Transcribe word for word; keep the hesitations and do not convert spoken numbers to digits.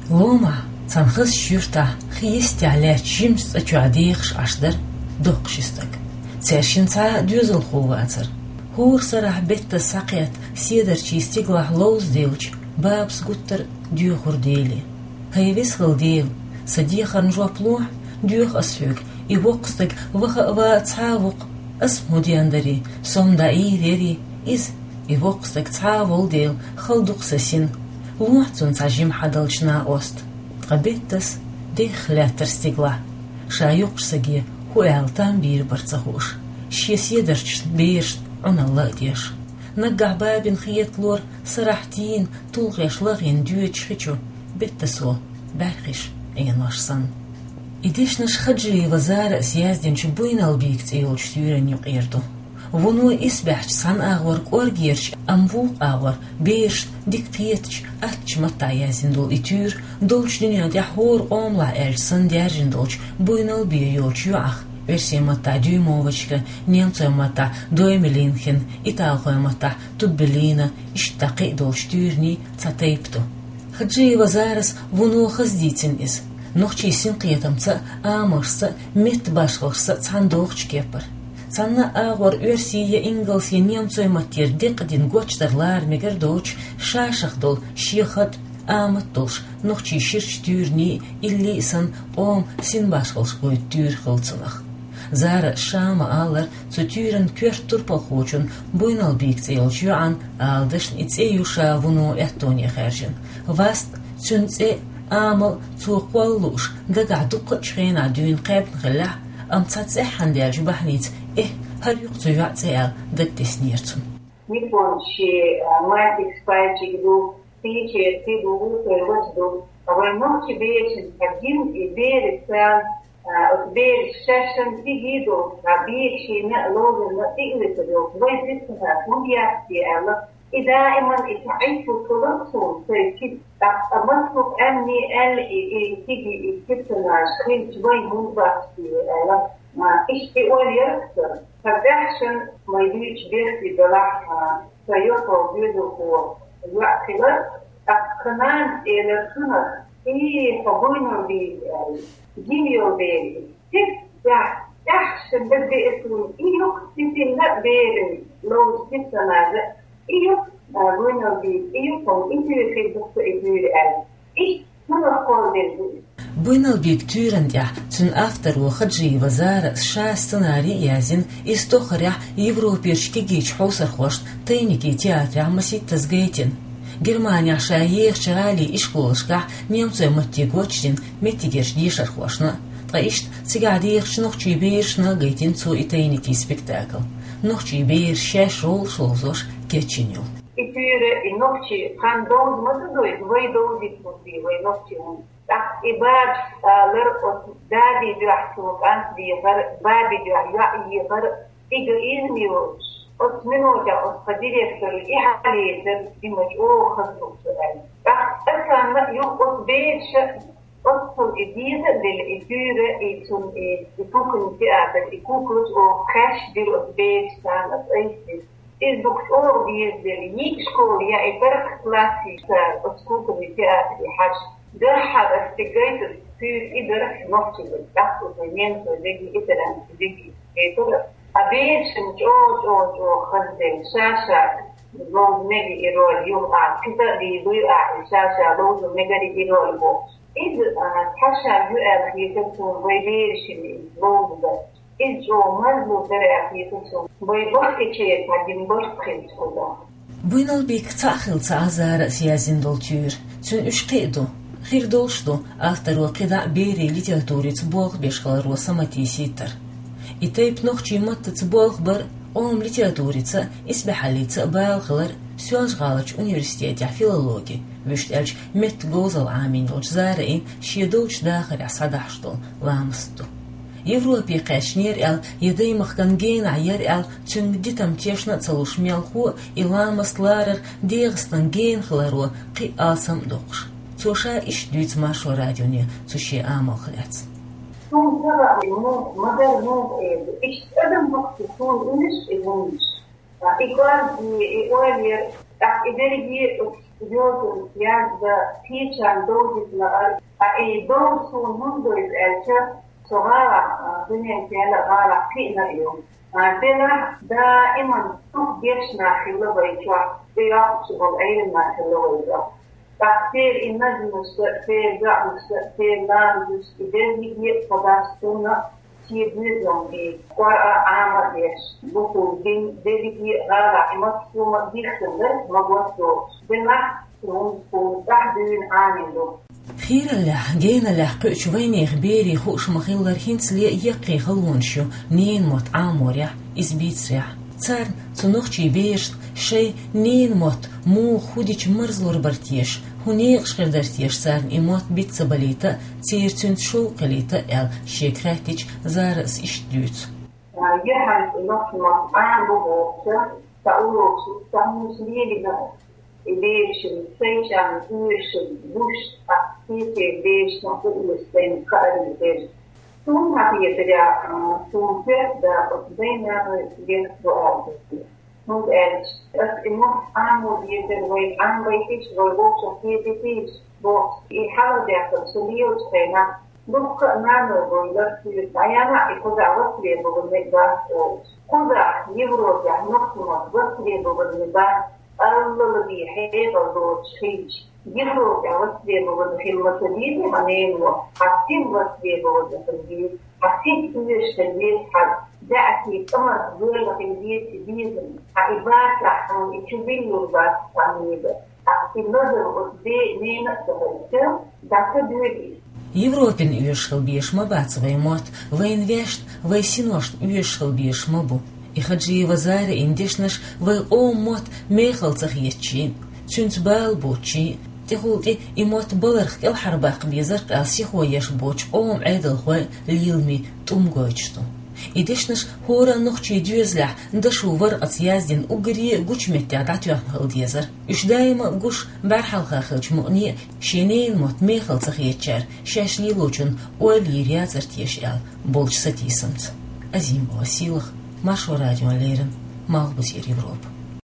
Ломахь, цхьана хазачу юьртахь, хи йистехь лаьттачу жимачу цӀа чохь дехаш Ӏаш дара доккхачу стаг. Цаьршинна цхьа а доьзалхо вацара. ХӀора сарахь беттан схьакхетта седарчийн стигалахь ловза девлча, бабас гуттар а доьхура Деле: «ХӀай веза хилла Дела, сан дехарна жоп лохьа, доьху ас хьоьга, и воккха стаг ваха а ван а цхьа а ву-кх, ас-м хӀун ден дарий, со-м дӀаийр ярий иза, и воккха стаг цхьа а волу дела, хала ду-кх сан син, лохьа цунна цхьа жима хьадалча накъост». Ткъа беттас дехха лаьттара стигалахь, ша юккъачу стаге хӀун аьлла там бийр бара ца хууш, шен седарчашна, берашна Ӏуналла а деш. Наггахь бабина хеталора сарахь тийна, тулгӀеш лахийна доьдучу хи чу беттасо бӀаьрхиш Ӏенош санна. И дешнаш Хаджиева Зарас яздинчу «Буйналбийга» цӀе йолчу туьйранна юкъера ду. Вуно исбаьхьчу цхьана агӀор кӀоргерчу, амма вукху агӀор берашна дика кхетачу, аттачу маттахь яздина долу и туьйра долчу дуьнен тӀехь хӀора къомалахь аьлча санна даьржина долчу буйналбе йолчу йоӀах, оьрсийн маттахь Дюймовочка, немцойн маттахь Доймелинхен, италхойн маттахь Туббелина, иштта кхин а долчу туьйранийн цхьа тайпа ду. Хаджиева Зарас вуно хаза дийцина иза. Нохчийн синкхетамца а, амалшца а, меттан башхаллашца а цхьаьна догӀучу кепара. Цхьана а агӀор оьрсийн я ингалсан я немцойн маттера декъадина гочдар лара мегар доцуш, ша-шах долу шен хатӀ, амат долуш, нохчийн ширачу туьйранийн, илли а санна, къоман синбашхаллаш гойту туьйра хилла цунах. Зарас ша ма-аллара, цу туьйранан коьрта турпалхочун, «Буйналбийга» цӀе йолчу йоӀан, ала дашна, и цӀе ю ша вуно аьттоне хаьржина. Васт, цуьнан цӀе а, амал а цо кхолла лууш, дагахь дуккхачу хенахь дуьйна кхаьбна хиллехь а, амма цхьа цӀеххьана даьллачу бахьаница «Эхь, хӀара ю-кх цу йоьӀан цӀе» аьлла дагадеснера цунна. Никон шен, а, маттигаш, пайчиг ду, кхечеран кхин ду, вукхеран вац ду. Ткъа вайн нохчийн берашна хьан гина и бераш царна, а, оцу бераша шаьшшинна кегий долуш, цхьа бегашна а, ловзарна а тӀе а летар йолуш, вайн сиптанаш хӀунда яц те аьлла, и даиман и цхьа Ӏитталц хилар суна, сайн кига, тӀаккха массо а къаьмнийн аьлла, и, и кегий, и сиптанаш хилча, вайн хӀунда бац те аьлла, а, иштта и ойла яра-кх сан. Сан тӀаьхьашна вай дуьйцучу берте делахь, а, сан йоккхал доьзалхо йоӀ хилар, тӀаккха нанас элира цунах: «И, хьо Буйналбийга», — аьлла. Гина йолу бер иза. Цигахь тӀаьхьашна дагадеара суна, и ю-кх цу синна а, берана ловза сиптанаш а, и ю-кх, а, Буйналбийга, и ю-кх хьуна, и туьйра хир ду-кх сан и туьйра аьлла. Иштта цунах кхолладелла ду иза. «Буйналбийга» туьйранна тӀехь цуьнан авторо Хаджиева Зарас ша сценарий а яздина, иза тоххарехь Европерчу кегийчу хьовсархошна «Тайники» театрехь масийттаза гайтина. Германехь ша ехачу гӀалин ишколашкахь немцойн матте гочдина меттигерчу дешархошна а, ткъа иштта цигахь дехачу нохчийн берашна а гайтина цо и «Тайники» спектакль. Нохчийн бераш шаьш гӀуллакхаш ловзош кечйина ю. И туьйра, и нохчийн хан довза ма ца дойду, вай довзийта хӀунда, вай нохчийн хӀунда. ТӀаккха и бабас алара, оцу дадин дуьхьа цо кӀант дехара, бабин дуьхьа йоӀ ехара, и га иза ма йоцуш, оцу минотехь оцу тхан директора и хьалаэцара, и ма чӀогӀа хаза ду-кх со аьлла. ТӀаккха царна а юха оцу бераша, оццул и деза а делла, и туьйра, и цунна и, и куклин театр, и куклаш оха кхаьчдира оцу бераша, царна аса айса дира. Иза дукха чӀогӀа дезаделла, йиъ школа я и паргӀат классашкара оцу куклин театре хьажа. Дуьххьара аса цига гайтарг туьйра и дара нохчийн дерг, тӀаккха оцу немцойн дерг, итальянцийн дерг гайтара. А берашна чӀогӀа, чӀогӀа, чӀогӀа хазделла, ша-ша ловза мега и роль, юха а кхин ца а дийр ду, а и ша-ша ловза мегар и роль бохуш. Иза, а, цхьа шаг ю аьлла хетара суна вай берашна иза ловза дар. Иза чӀогӀа марзло дара аьлла хетара суна, вай баккхийчеран цхьа дина барт хилча кхузахь. «Буйналбийга» цхьаъ хилла ца Ӏа Зарас яздина долу туьйра. Цуьнан уьш кхин а ду. Хир долуш ду, авторо кхидӀа а берийн литературица болх беш хиларо саматийсийтар. И тайпа нохчийн маттаца болх бар, къоман литературица а, исбаьхьаллица а бала хилар Соьлжа-ГӀаларчу университетехь филологи, вуьшта аьлча меттан говзалла Ӏамийна йолчу Зарин шен долчу дахарехь схьадахьаш долу ламаст ду. Европе кхаьчнера аьлла я даймахкан генахь яра аьлла, цуьнга дитам тешна а ца луш мелхо а и ламаст ларар ДегӀастан гена хиларо кхин а алсам а доккхуш. Цо ша иштта дуьйцу Маршо радионе цу шен амалх лаьцна. Суна ца хаьа, муха, ма-дарра муха эр ду. Иштта адам дукха суна уьлуш и хӀуманаш. И кӀорге, и ойла яр, тӀаккха и дерриге Йозанца язда кхечарна довзийта лаар, ткъа и довза суна хӀунда довза аьлча, со гӀалахь, а, дуьнен кхел а гӀалахь кхиъна а ю. А, делахь, даиман дукха гечнах хилла вай чохь, тӀейогӀучу болу Ӏелам нах хилла вай чохь. ТӀаккха церан и назмашца, церан доӀанашца, церан ламазашца, и дерриге а тхо дас цунна а, шен доьзална и Къуръан Ӏама а деш, бухула дин дерриге а гӀалахь и маттахь хӀума дийхкина дара, ма гуш долуш. Делахь, хӀунда тхуна тӀаьхьа дуьйна Ӏамийна ду. Хийраллехь, геналлехь кхуьучу вайнехан берийн хууш ма-хиллара, хӀинцале а яккхий халонаш ю ненан мотт Ӏаморехь, иза бийцарехь. Царна, цу нохчийн берашна, шайн ненан мотт муха, хӀун дича марзлур бара теша, хӀун некъаш хир дара теша царна и мотт биц ца балийта а, церан цуьнца шовкъ хилийта а аьлла, шега хаьттича, Зарас иштта дуьйцу. Яхьанца нохчийн мотт Ӏама бу бохуча, сан урокаш, сан хӀуманаш лелийна, и берашна, шайчарна оьшуш, гуш, а, кхечеран берашна а оьшуш, сайна кхаарий бераш. Суна хетарехь, а, суна коьрта дакъа оцу дай-наной герга ду аьлла. ХӀунда аьлча ас и мотт Ӏамо дезара, вай Ӏамабайтийша, вай вовшах кхетийтийша бохуш, и хьалхадеана со лелачу хенахь, дуккха а наной бовлар соьга, дӀаяхьа и кхузахь востребованный дац олуш. Кхузахь, Европехь, нохчийн мотт востребованный бац, аллал бен хьекъал доцуш хилча. Европехь востребованный хила ма ца дезий хьан ненан мотт, хьан син востребованный хила деза, хьан син оьшуш хила деза, хьан даьӀахкий кӀамаьрша гӀоьлла хила деза и безам, хьан и бацахь, хьуна и чу биллур бац цхьаннега. Ткъа и назам оцу бен, ненан а ца хилча, дӀа ца доьду иза. Европина оьшуш хила безаш ма бац вайн мотт, вайна ваьшна, вайн синошна оьшуш хила безаш ма бу. И Хаджиева Зарин дешнаш вайн къоман мотт мехала ца хетачийн, цуьнца бала боцучийн, тӀехула тӀе и мотт баларх кӀелхьарбаккха безарх аьлла сихо еш боцучу къоман Ӏедалхойн леламийн тӀум гойтуш ду. И дешнаш хӀора а нохчийн доьзалехь дашо варкъаца яздина уггаре а гучу меттехь дӀатоьхна хила дезара. Уьш даима а гуш, бӀаьрхьалха хиллачу мукъане а шен ненан мотт мехала ца хетачара шаьш лелочунна ойла йийр яцара теша аьлла болчу сатийсамца. Азимова Сийлаха, Маршо радиона леррина, Малхбузера Европа.